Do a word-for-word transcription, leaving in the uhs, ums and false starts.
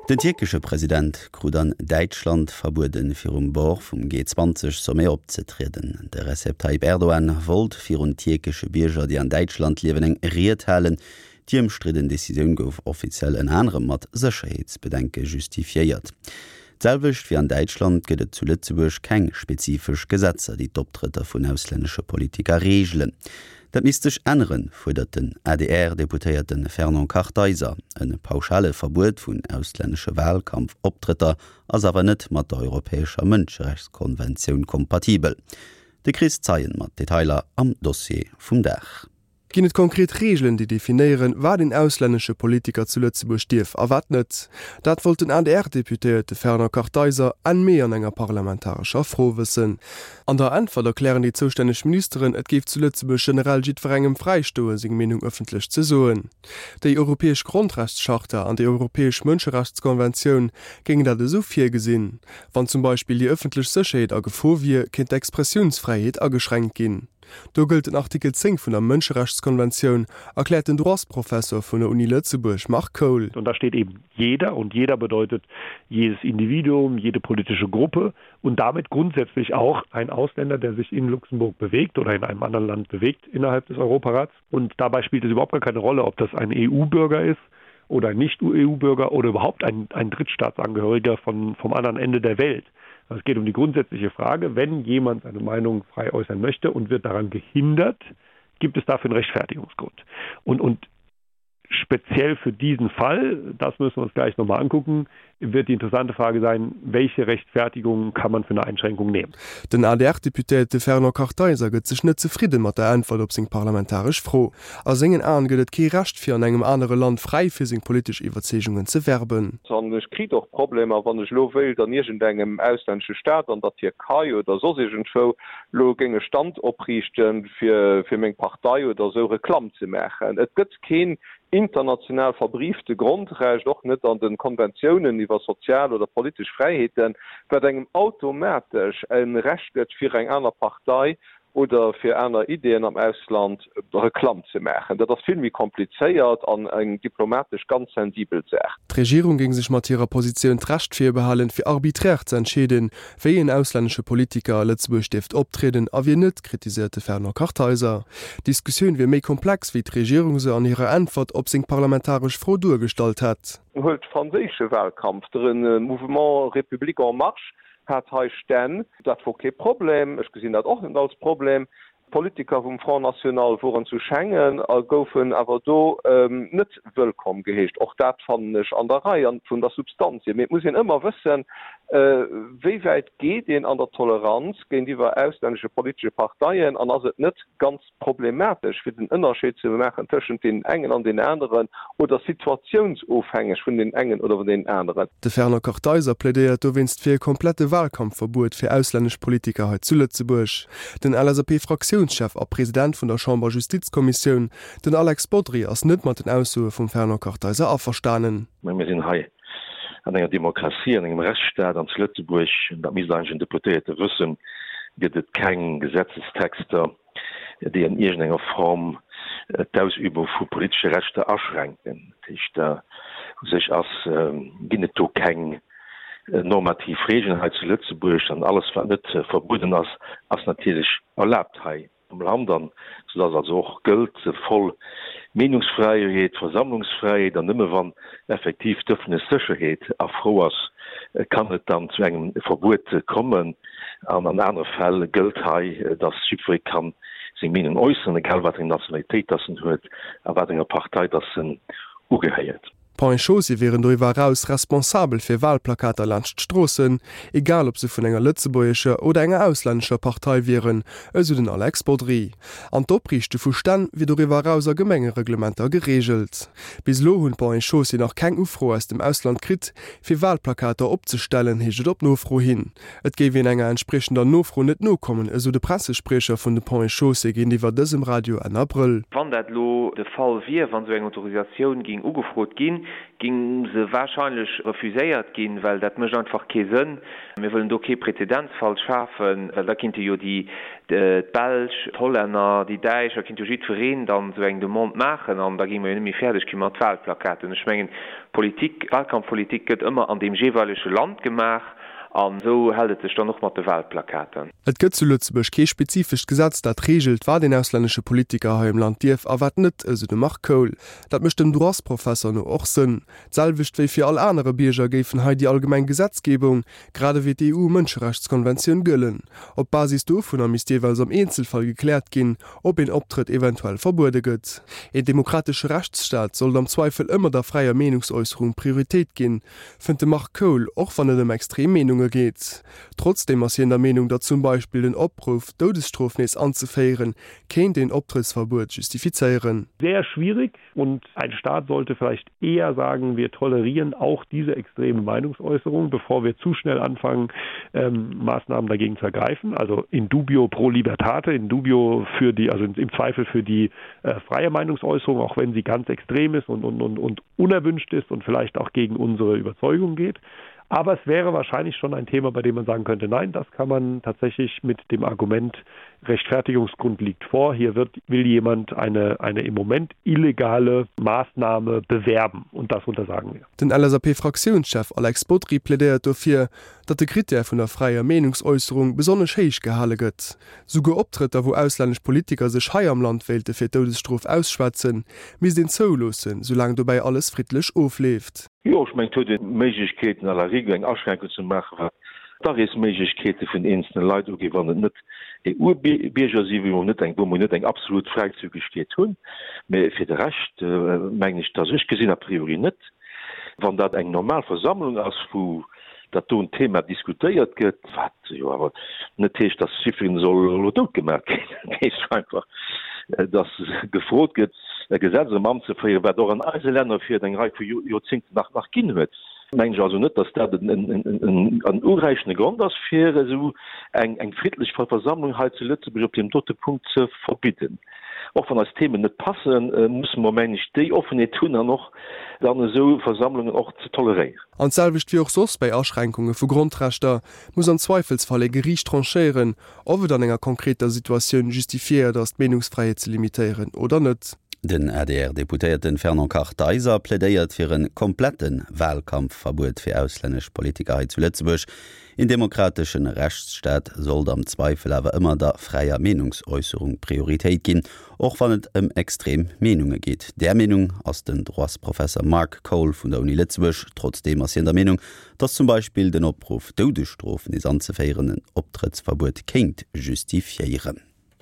Den tierkesche President krut an Däitschland verbueden, virum Bord vum G zwanzeg Sommet opzetrieden. De Recep Tayyip Erdogan wollt virun tierkesche Bierger, déi an Däitschland liewen, eng Ried halen. Déi ëmstridden Decisioun gouf offiziell ënner anerem mat Sécherheetsbedenke justifiéiert. D'selwecht wéi an Däitschland gëtt et zu Lëtzebuerg keng spezifesch Gesetzer, déi d'Optrëtter vun auslännesche Politiker reegelen. Dat misst sech änneren, fuerdert den A D R-Deputéierte Fernand Kartheiser. E pauschale Verbuet vun auslännesche Walkampfoptrëtter ass awer net mat der europäescher Mënscherechtskonventioun kompatibel. De Chris Zeien mat Detailer am Dossier vum Dag. Ginn et konkret Reegelen, déi definéieren, wat een auslännesche Politiker zu Lëtzebuerg dierf a wat net? Dat wollt den A D R-Deputéierte Fernand Kartheiser Enn Mee an enger parlamentarescher Fro wëssen. An der Äntwert erklären déi zoustänneg Ministeren, et géif zu Lëtzebuerg generell jiddwerengem fräistoen, seng Meenung ëffentlech ze soen. Déi europäesch Grondrechtscharta an déi europäesch Mënscherechtskonventioun géingen dat esou virgesinn. Wann zum Beispill déi ëffentlech Sécherheet a Gefor wier, kéint d'Expressiounsfräiheet ageschränkt ginn. Do gëllt den Artikel zéng vun der Mënscherechtskonventioun, erkläert den Droitsprofessor vun der Uni Lëtzebuerg Marc Cole. Und da steht eben jeder und jeder bedeutet jedes Individuum, jede politische Gruppe und damit grundsätzlich auch ein Ausländer, der sich in Luxemburg bewegt oder in einem anderen Land bewegt innerhalb des Europarats. Und dabei spielt es überhaupt gar keine Rolle, ob das ein E U-Bürger ist oder ein Nicht-E U-Bürger oder überhaupt ein, ein Drittstaatsangehöriger von, vom anderen Ende der Welt. Es geht um die grundsätzliche Frage, wenn jemand seine Meinung frei äußern möchte und wird daran gehindert, gibt es dafür einen Rechtfertigungsgrund. Und, und speziell für diesen Fall, das müssen wir uns gleich nochmal angucken, wird die interessante Frage sein, welche Rechtfertigung kann man für eine Einschränkung nehmen. Den A D R-Deputéierte Fernand Kartheiser gëtt sech net zefridde mat der Äntwert op seng parlamentaresch Fro. A sengen Aen gëtt et kee Recht fir an engem anere Land fräi fir seng politesch Iwwerzeegungen ze werben. An ech kritt och Problemer, wann ech lo wéilt an iergendengem auslännesche Staat, an der Tierkei oder soss iergendwou, lo géing e Stand opriichten, fir fir meng Partei oder esou Reklamm ze maachen. Et gëtt keen international verbriefte Grondrecht, och net an de Konventiounen iwwer sozial oder politesch Fräiheeten, wat engem automatesch e Recht gëtt, fir eng aner Partei oder fir aner Ideeën am Ausland Reklamm ze maachen. Dat ass vill méi komplizéiert an eng diplomatesch ganz sensibel Saach. D'Regierung géing sech mat hirer Positioun d'Recht virbehalen, fir arbiträr ze entscheeden, wéi en auslännesche Politiker a Lëtzebuerg dierft optrieden a wien net, kritiséiert de Fernand Kartheiser. D'Diskussioun wier méi komplex, wéi d'Regierung se an hirer Äntwert op seng parlamentaresch Fro duergestallt hätt. Huelt de franséische Wahlkampf, de Mouvement République en marche hat hei Stänn, dat wor kee Problem, ech gesinn dat och net als Problem. Politiker vum Front National woren zu Schengen a goufen awer do net wëllkomm geheescht. Och dat fannen ech an der Rei an vun der Substanz hier. Mee et muss een ëmmer wëssen, wéi wäit geet een an der Toleranz géintiwwer auslännesche politesche Parteien an ass et net ganz problematesch fir den Ënnerscheed ze maachen tëschent deenen engen an deenen aneren oder situatiounsofhängeg vun deenen engen oder vun deenen aneren. De Fernand Kartheiser plädéiert dowéinst fir e komplette Wahlkampfverbuet fir auslännesch Politiker hei zu Lëtzebuerg. Den L S A P-Fraktiounschef a President vun der Chamber-Justizkommissioun, den Alex Bodry, ass net mat den Aussoe vum Fernand Kartheiser averstanen. Mä mir sinn hei an enger Demokratie, an engem Rechtsstaat an zu Lëtzebuerg, dat misst eigentlech en Deputéierte wëssen, gëtt et keng Gesetzestexter, déi an iergendenger Form d'Ausübung vu politesche Rechter aschränken. Dat heescht, u sech ass, ginn et do keng normativ Regeln hei zu Lëtzebuerg an alles, wat net verbueden ass, ass natierlech erlaabt hei am Land an soudass also och gëllt voll Meenungsfräiheet, Versammlungsfräiheet an nëmme wann effektiv d'ëffentlech Sécherheet a Fro ass, kann et dann zu engem Verbuet kommen an an anere Fäll gëllt hei, dass jiddweree kann seng Meenung äusseren, egal wat eng Nationalitéit dass en huet a wat enger Partei dass en ugehéiert. D'Ponts et Chaussées wieren doriwwer eraus responsabel fir Walplakater laanscht d'Stroossen, egal ob se vun enger lëtzebuergescher oder enger auslännescher Partei wieren, esou den Alex Bodry. An d'Opriichte vu Stänn wier doriwwer eraus a Gemengereglementer gereegelt. Bis elo hunn d'Ponts et Chaussées nach keng Ufro aus dem Ausland kritt, fir Walplakater opzestellen, heescht et op Nofro hin. Et géif een enger entspriechender Nofro net nokommen, esou de Pressespriecher vun de Ponts et Chaussées géintiwwer dësem Radio Enn Abrëll. Wann dat elo de Fall wier, wann esou eng Autorisatioun géing ugefrot ginn, géing se warscheinlech refuséiert ginn, well dat mécht einfach kee Sënn. Mir wëllen do kee Präzedenzfall schafen, well da kinnte jo déi d'Belsch, d'Hollänner, déi Däitsch, da kinnt jo jiddwereen dann esou eng Demande maachen an da géinge mer jo net méi fäerdeg gi mat Wahlplakaten. Ech mengen, Politik, Wahlkampfpolitik gëtt ëmmer an deem jeeweilege Land gemaach an esou hält et sech dann och mat de Wahlplakaten. Et gëtt zu Lëtzebuerg kee spezifescht Gesetz, dat reegelt, wat een auslännesche Politiker hei am Land dierf a wat net, esou de Marc Kohl. Dat mécht dem Droitsprofesser no och Sënn. D'selwecht wéi fir all anere Bierger géifen hei déi allgemeng Gesetzgebung, grad ewéi d'EU-Mënscherechtskonventioun gëllen. Op Basis dovunner misst jeeweils am Eenzelfall gekläert ginn, ob een Optrëtt eventuell verbuede gëtt. Een demokratesche Rechtsstaat sollt am Zweifel ëmmer der fräier Meenungsäusserung Prioritéit ginn, fënnt de Marc Kohl, och wann et ëm extrem Meenunge geet. Trotzdeem ass hien der Meenung, datt zum Beispill den Opruff, d'Doudesstrof nees anzeféieren, kéint een Optrëttsverbuet justifizéieren. Sehr schwierig und ein Staat sollte vielleicht eher sagen, wir tolerieren auch diese extreme Meinungsäußerung, bevor wir zu schnell anfangen, ähm, Maßnahmen dagegen zu ergreifen. Also in dubio pro libertate, in dubio für die, also im Zweifel für die äh, freie Meinungsäußerung, auch wenn sie ganz extrem ist und, und, und, und unerwünscht ist und vielleicht auch gegen unsere Überzeugung geht. Aber es wäre wahrscheinlich schon ein Thema, bei dem man sagen könnte, nein, das kann man tatsächlich mit dem Argument Rechtfertigungsgrund liegt vor. Hier wird, will jemand eine, eine im Moment illegale Maßnahme bewerben und das untersagen wir. Den LSAP-Fraktiounschef Alex Bodry plädéiert dofir, datt de Krittär vun der fräier Meenungsäusserung besonnesch héich gehale gëtt. Souguer Optrëtter, wou auslännesch Politiker sech hei am Land wéilte fir d'Doudesstrof ausschwätzen, misst een zouloossen, soulaang dobäi alles friddlech ofleeft. Jo, ech mengen, et huet een d'Méiglechkeeten à la rigueur eng Aschränkung ze maachen, wat d'Areesméiglechkeete vun eenzelne Leit ugeet, wann et net EU-Bierger sinn, wou mer net eng, wou mer net eng absolut Fräizügegkeet hunn. Mä fir de Rescht mengen ech, dass, ech gesinn a priori net, wann dat eng normal Versammlung ass, wou dat doen Thema diskutéiert gëtt, wat jo awer net heescht, dass jiddwereen soll elo dout gemaach ginn. Dat heescht einfach, dass gefrot gëtt, e Gesetz erëm anzeféieren, wat och an eise Länner fir eng Rei vu Joerzéngten nach nach ginn huet. Mengen ech also net, dass dat en uräichende Grond ass, fir esou eng eng friddlech Versammlung hei zu Lëtzebuerg op deem dote Punkt ze verbidden. Och wann eis Themen net passen, musse mer, mengen ech, déi Offenheet hunn an och dann esou Versammlungen och ze toleréieren. An d'selwecht wéi och soss bäi Aschränkunge vu Grondrechter, muss am Zweifelsfall e Geriicht tranchéieren, ob et an enger konkreter Situatioun justifiéiert ass, d'Meenungsfräiheet ze limitéieren oder net. Den A D R-Deputéierte Fernand Kartheiser plädéiert fir e komplette Wahlkampfverbuet fir auslännesch Politiker hei zu Lëtzebuerg. Een demokrateschen Rechtsstaat sollt am Zweifel awer ëmmer der fräier Meenungsäusserung Prioritéit ginn, och wann et ëm extrem Meenunge geet. Där Meenung ass den Droitsprofesser Marc Kohl vun der Uni Lëtzebuerg. Trotzdeem ass hien der Meenung, datt zum Beispill den Opruff, d'Doudesstrof nees anzeféieren, en Optrëttsverbuet kéint justifiéieren.